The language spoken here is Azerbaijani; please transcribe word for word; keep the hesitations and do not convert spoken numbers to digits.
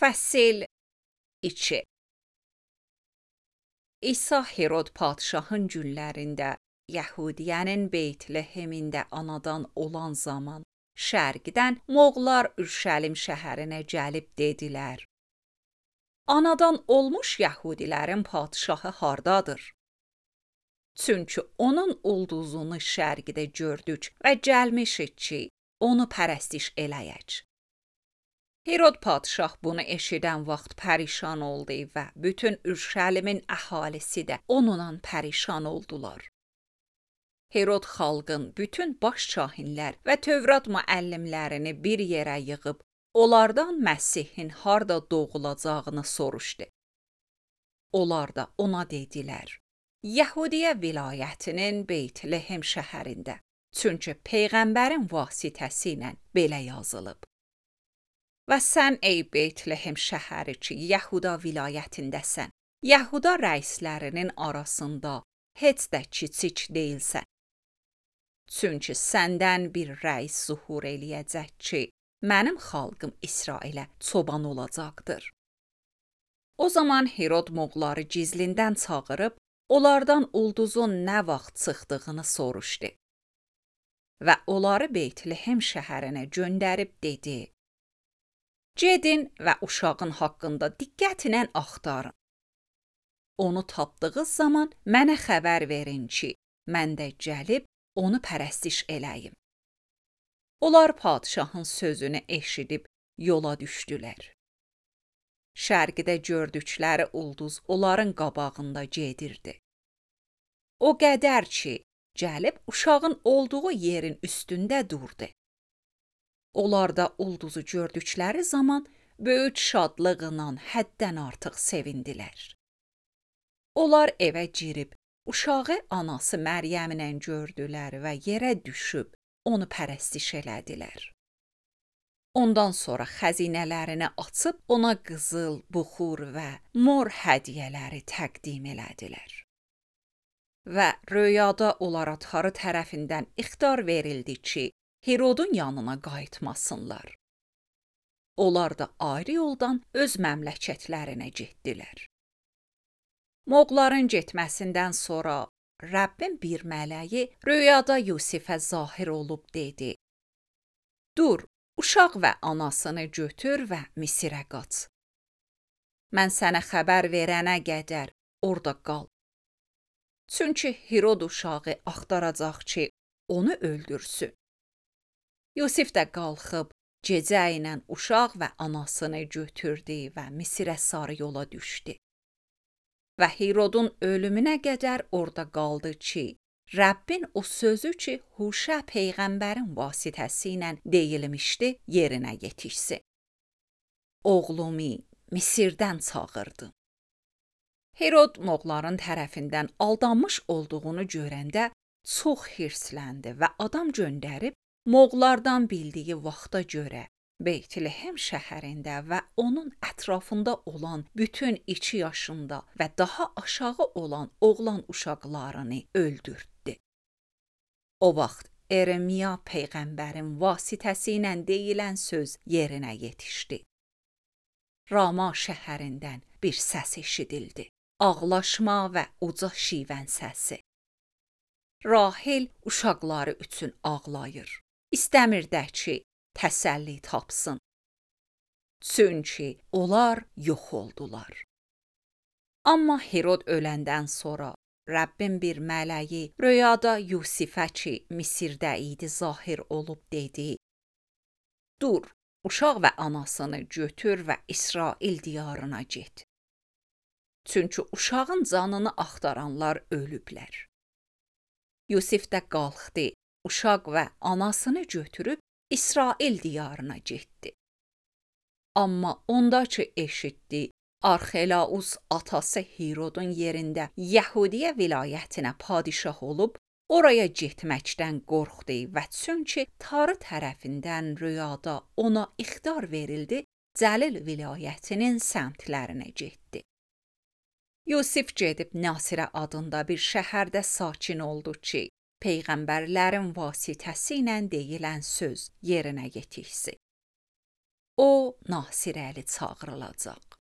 Fəsil iki. İsa Herod padşahın günlərində Yəhudiyənin Beytlehemində anadan olan zaman şərqdən Moğollar Ürşəlim şəhərinə gəlib dedilər: Anadan olmuş Yəhudilərin padşahı hardadır? Çünki onun ulduzunu şərqdə gördük və gəlmişik ki, onu pərəstiş eləyək. Herod padşah bunu eşidən vaxt pərişan oldu və bütün Ürşəlimin əhalisi də onunla pərişan oldular. Herod xalqın bütün baş kahinlər və Tövrat müəllimlərini bir yerə yığıb, onlardan Məsihin harda doğulacağını soruşdu. Onlar da ona dedilər: Yəhudiyə vilayətinin Beytlehem şəhərində, çünki Peyğəmbərin vasitəsi ilə belə yazılıb. Və sən ey Beytlehem şəhəri ki, Yəhuda vilayətindəsən, Yəhuda rəislərinin arasında heç də kiçik deyilsən. Çünki səndən bir rəis zuhur eləyəcək ki, mənim xalqım İsrailə çoban olacaqdır. O zaman Herod Moğolları gizlindən çağırıb, onlardan ulduzun nə vaxt çıxdığını soruşdu. Və onları Beytlehem şəhərinə göndərib dedi: Gedin və uşağın haqqında diqqətlə axtarın. Onu tapdığınız zaman mənə xəbər verin ki, mən də gəlib onu pərəstiş eləyim. Onlar padşahın sözünü eşidib yola düşdülər. Şərqdə gördükləri ulduz onların qabağında gedirdi. O qədər ki, gəlib uşağın olduğu yerin üstündə durdu. Onlar da ulduzu gördükləri zaman böyük şadlıqla həddən artıq sevindilər. Onlar evə girib, uşağı anası Məryəmlə gördülər və yerə düşüb onu pərəstiş elədilər. Ondan sonra xəzinələrini açıb ona qızıl, buxur və mor hədiyyələri təqdim elədilər. Və röyada onlara Tanrı tərəfindən ixtar verildi ki, Herodun yanına qayıtmasınlar. Onlar da ayrı yoldan öz məmləkətlərinə getdilər. Moğolların getməsindən sonra Rəbbin bir mələyi röyada Yusifə zahir olub dedi: Dur, uşaq və anasını götür və Misirə qaç. Mən sənə xəbər verənə qədər orada qal. Çünki Herod uşağı axtaracaq ki, onu öldürsün. Yusif də qalxıb, gecə ilə uşaq və anasını götürdü və Misirə sarı yola düşdü. Və Herodun ölümünə qədər orada qaldı ki, Rəbbin o sözü ki, Huşə Peyğəmbərin vasitəsi ilə deyilmişdi, yerinə yetişsin. Oğlumu Misirdən çağırdım. Herod Moğolların tərəfindən aldanmış olduğunu görəndə çox hirsləndi və adam göndərib, Moğollardan bildiyi vaxta görə Beytlehem şəhərində və onun ətrafında olan bütün iki yaşında və daha aşağı olan oğlan uşaqlarını öldürdü. O vaxt Eremiya Peyğəmbərin vasitəsi ilə deyilən söz yerinə yetişdi. Rama şəhərindən bir səs eşidildi. Ağlaşma və uca şivən səsi. Rahil uşaqları üçün ağlayır. İstəmir də ki, təsəlli tapsın. Çünki onlar yox oldular. Amma Herod öləndən sonra Rəbbin bir mələyi röyada Yusifə ki, Misirdə idi zahir olub dedi: Dur, uşaq və anasını götür və İsrail diyarına get. Çünki uşağın canını axtaranlar ölüblər. Yusif də qalxdı, uşaq və anasını götürüb İsrail diyarına getdi. Amma onda ki eşitdi, Arxelaus atası Herodun yerində Yəhudiyə vilayətinə padişah olub, oraya getməkdən qorxdu və çünki Tanrı tərəfindən rüyada ona ixtar verildi, Cəlil vilayətinin səmtlərinə getdi. Yusif gedib Nasirə adında bir şəhərdə sakin oldu ki, Peyğəmbərlərin vasitəsi ilə deyilən söz yerinə yetişsin. O Nasirəli çağırılacaq.